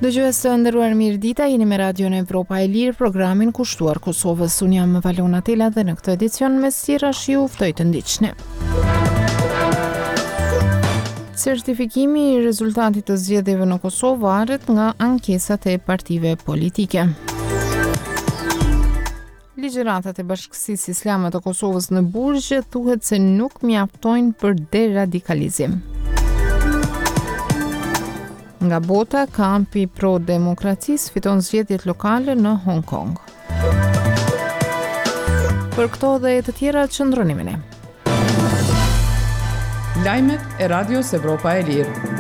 Dëgjues të nderuar mirëdita, jeni me Radion Evropa e Lirë, programin kushtuar Kosovës. Unë jam Valona Tela dhe në këtë edicion mes tjerash ju ftoj të ndiqni. Certifikimi i rezultatit të zgjedhjeve në Kosovë varet nga ankesat e partive politike. Ligjëratat e Bashkësisë Islame të Kosovës në burgje thuhet se nuk mjaftojnë për deradikalizim. Nga bota, kampi pro demokracisë fiton zgjedhjet lokale në Hong Kong. Për këto dhe të tjera qëndroni me ne. Lajmet e Radios Evropa e Lirë.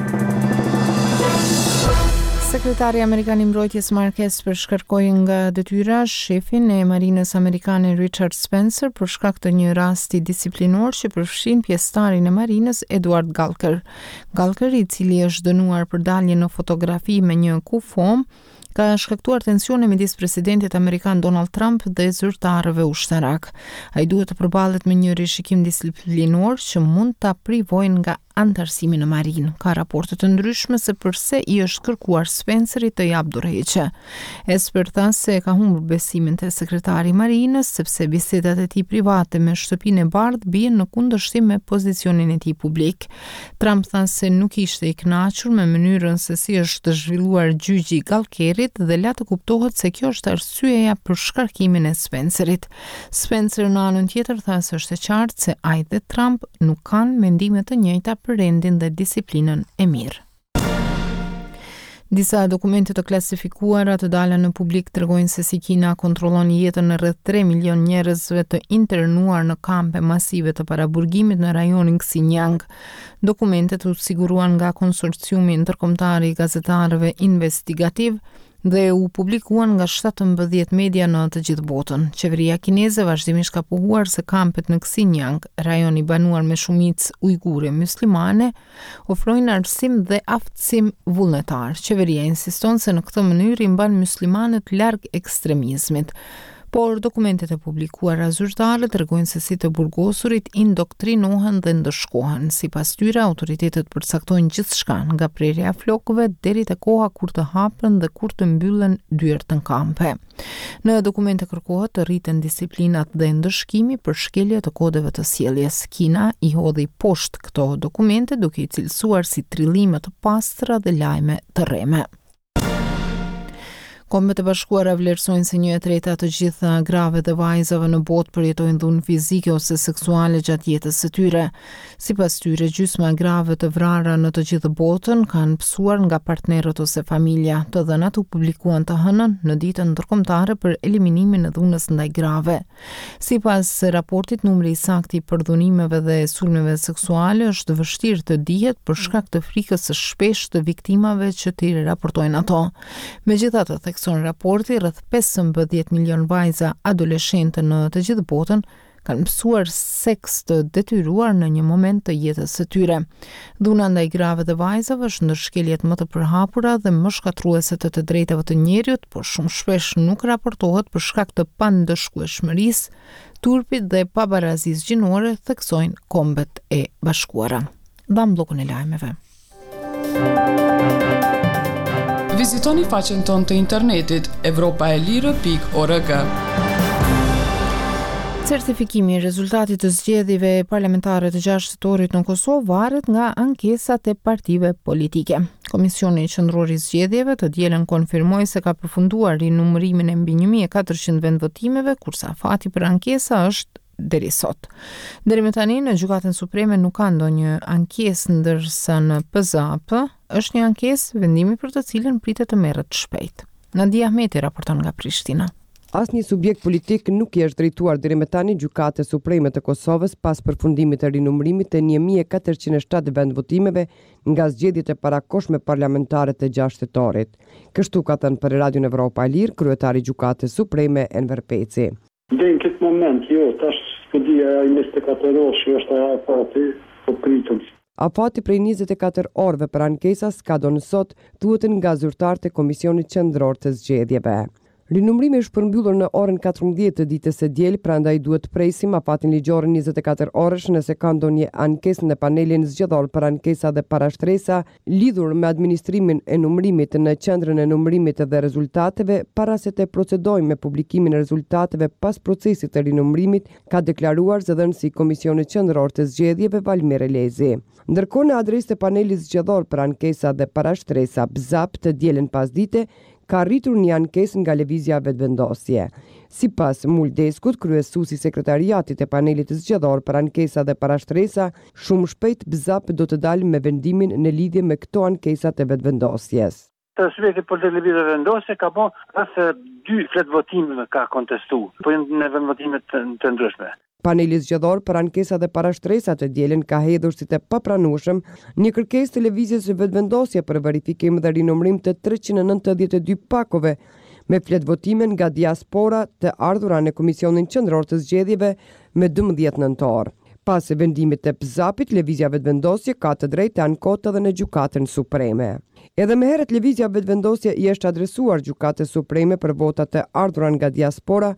Sekretari amerikan i Mbrojtjes Mark Esper shkarkoi nga detyra shefin e Marinës Amerikane Richard Spencer për shkak të një rasti disiplinor që përfshin pjesëtarin e Marinës Edward Gallagher. Gallagher, i cili është dënuar për dalje në fotografi me një kufomë, ka shkaktuar tensione midis presidentit amerikan Donald Trump dhe zyrtarëve ushtarakë. Ai duhet të përballet me një rishikim disiplinor që mund ta privojë nga anëtarësimi në marinë. Ka raporte të ndryshme se përse i është kërkuar Spencerit të japë dorëheqje. Esper tha se ka humbur besimin te sekretari i marinës sepse bisedat e tij private me Shtëpinë e Bardhë bien në kundërshtim me pozicionin e tij publik. Trump tha se nuk ishte i kënaqur me mënyrën se si është zhvilluar gjyqi i Gallagherit dhe la të kuptohet se kjo është arsyeja për shkarkimin e Spencerit. Spencer në anën tjetër tha se është e qartë se ai dhe Trump nuk kanë mendime të njëjta për rendin dhe disiplinën e mirë. Disa dokumente të klasifikuara të dala në publik tregojnë se si Kina kontrollon jetën e rreth 3 milion njerëzve të internuar në kampe masive të paraburgimit në rajonin Xinjiang. Dokumentet u siguruan nga konsorciumi ndërkombëtar i gazetarëve investigativ dhe u publikuan nga 17 media në të gjithë botën. Qeveria kineze vazhdimisht ka pohuar se kampet në Xinjiang, rajon i banuar me shumicë ujgure myslimane, ofrojnë arsim dhe aftësim vullnetar. Qeveria insiston se në këtë mënyrë i mban myslimanët larg ekstremizmit. Por dokumentet e publikuara zyrtare tregojnë se si të burgosurit indoktrinohen dhe ndëshkohen. Sipas tyre, autoritetet përcaktojnë gjithçka, nga prerja e flokëve deri te koha kur të hapen dhe kur të mbyllen dyert në kampe. Në dokumente kërkohet të rriten disiplinat dhe ndëshkimi për shkelje të kodeve të sjelljes. Kina i hodhi poshtë këto dokumente duke i cilësuar si trillime të pastra dhe lajme të rreme. Kombet e Bashkuara vlerësojnë se një e treta e të gjitha grave dhe vajzave në botë përjetojnë dhunë fizike ose seksuale gjatë jetës së tyre. Sipas tyre, gjysma e grave të vrara në të gjithë botën kanë pësuar nga partnerët ose familja. Të dhënat u publikuan të hënën në Ditën Ndërkombëtare për Eliminimin e Dhunës ndaj Grave. Sipas raportit, numri i saktë i përdhunimeve dhe sulmeve seksuale është vështirë të dihet për shkak të frikës së shpeshtë të viktimave që t'i raportojnë ato. Megjithatë, thekson raporti, rreth 15 milion vajza adoleshente në të gjithë botën kanë pësuar seks të detyruar në një moment të jetës së tyre. Dhuna ndaj grave dhe vajzave është ndër shkeljet më të përhapura dhe më shkatërruese të të drejtave të njeriut, por shumë shpesh nuk raportohet për shkak të pandëshkueshmërisë, turpit dhe pabarazisë gjinore, theksojnë Kombet e Bashkuara. Dhamë bllokun e lajmeve. Vizitoni faqen tonë të internetit evropaelire.org. Certifikimi i rezultatit të zgjedhjeve parlamentare të 6 tetorit në Kosovë varet nga ankesat e partive politike. Komisioni Qendror i Zgjedhjeve të dielën konfirmoi se ka përfunduar rinumërimin e mbi 1400 vendvotimeve, kurse afati për ankesa është deri sot. Deri më tani në Gjykatën Supreme nuk ka ndonjë ankesë, ndërsa në PZAP është një ankesë, vendimi për të cilën pritet të merret shpejt. Nadia Ahmeti raporton nga Prishtina. Asnjë subjekt politik nuk i është drejtuar deri më tani Gjykatës Supreme të Kosovës pas përfundimit të rinumërimit të 1407 vendvotimeve nga zgjedhjet e parakohshme parlamentare të 6 tetorit. Kështu ka thënë për Radion Evropa e Lirë kryetari i Gjykatës Supreme Enver Peci. Deri në këtë moment, jo, tash s'po di a ai 24 orëshi është ai afati, po pritet. Afati prej 24 orëve për ankesa skadon sot, thuhet nga zyrtarët e Komisionit Qendror të Zgjedhjeve. Rinumërimi është përmbyllur në orën 14 të ditës së diel, prandaj duhet të presim afatin ligjor 24 orësh nëse ka ndonjë ankesë në panelin zgjedhor për ankesa dhe parashtresa lidhur me administrimin e numërimit në qendrën e numërimit dhe rezultateve para se të procedojmë me publikimin e rezultateve pas procesit të rinumërimit, ka deklaruar zëdhënësi i Komisionit Qendror të Zgjedhjeve, Valmir Elezi. Ndërkohë në adresë të panelit zgjedhor për ankesa dhe parashtresa, BZAP, të dielën pasdite, ka arritur një ankesë nga Lëvizja Vetëvendosje. Sipas Mul Deskut, kryesues i Sekretariatit të Panelit Zgjedhor për Ankesa dhe Parashtresa, shumë shpejt BZAP do të dalë me vendimin në lidhje me këto ankesa të Vetëvendosjes. Subjekti politik Lëvizja Vetëvendosje ka bo rreth dy fletëvotime ka kontestu, po janë në vendvotime të ndryshme. Paneli Zgjedhor për Ankesa dhe Parashtresa të dielën ka hedhur si të papranueshëm një kërkesë të Lëvizjes Vetëvendosje për verifikim dhe rinumërim të 392 pakove me fletëvotime nga diaspora të ardhura në Komisionin Qendror të Zgjedhjeve me 12 nëntor. Pas vendimit të BZAP-it, Lëvizja Vetëvendosje ka të drejtë të ankohet edhe në Gjykatën Supreme. Edhe më herët Lëvizja Vetëvendosje i është adresuar Gjykatës Supreme për votat e ardhura nga diaspora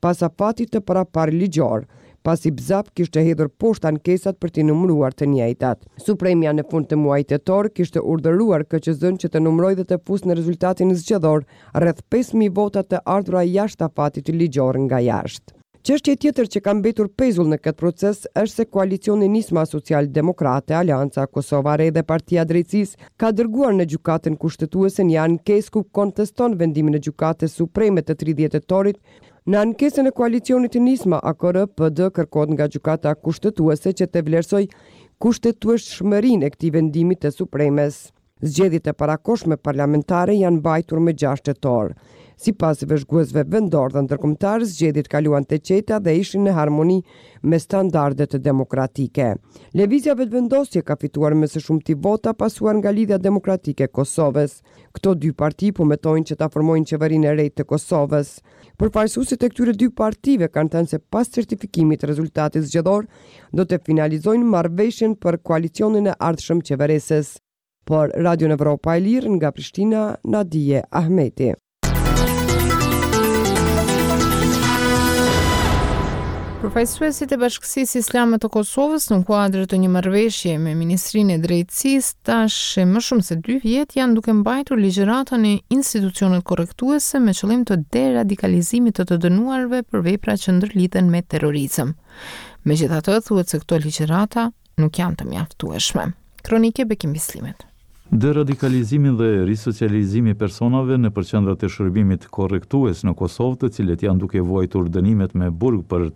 pas afatit të paraparë ligjor, pasi BZAP kishte hedhur poshtë ankesat për t'i numëruar të njëjtat. Supremja në fund të muajit tetor kishte urdhëruar KQZ-në që të numërojë dhe të fusë në rezultatin zgjedhor rreth 5.000 vota të ardhura jashtë afatit ligjor nga jashtë. Çështje tjetër që ka mbetur pezull në këtë proces është se koalicioni Nisma Social Demokrate, Aleanca Kosova e Re dhe Partia e Drejtësisë ka dërguar në Gjykatën Kushtetuese një ankesë ku konteston vendimin e Gjykatës Supreme të 30 tetorit. Në ankesën e koalicionit Nisma, AKR, PD kërkohet nga Gjykata Kushtetuese që të vlerësojë kushtetueshmërinë e këtij vendimi të Supremes. Zgjedhjet e parakohshme parlamentare janë mbajtur më 6 tetor. Sipas vëzhguesve vendor dhe ndërkombëtar, zgjedhjet kaluan të qeta dhe ishin në harmoni me standardet demokratike. Lëvizja Vetëvendosje ka fituar më së shumti vota, pasuar nga Lidhja Demokratike e Kosovës. Këto dy parti po mëtojnë që ta formojnë qeverinë e re të Kosovës. Përfaqësuesit e këtyre dy partive kanë thënë se pas certifikimit të rezultatit zgjedhor do të finalizojnë marrëveshjen për koalicionin e ardhshëm qeverisës. Për Radion Evropa e Lirë nga Prishtina, Nadije Ahmeti. Përfaqësuesit e Bashkësisë Islame të Kosovës në kuadër të një marrëveshje me Ministrinë e Drejtësisë tash e më shumë se dy vjet janë duke mbajtur ligjërata në institucionet korrektuese me qëllim të deradikalizimit të të dënuarve për vepra që ndërlidhen me terrorizëm. Megjithatë, thuhet se këto ligjërata nuk janë të mjaftueshme. Kronikë e Bekim Bislimit. Deradikalizimi dhe risocializimi i personave nëpër qendrat e shërbimit korrektues në Kosovë, të cilët janë duke vuajtur dënimet me burg për.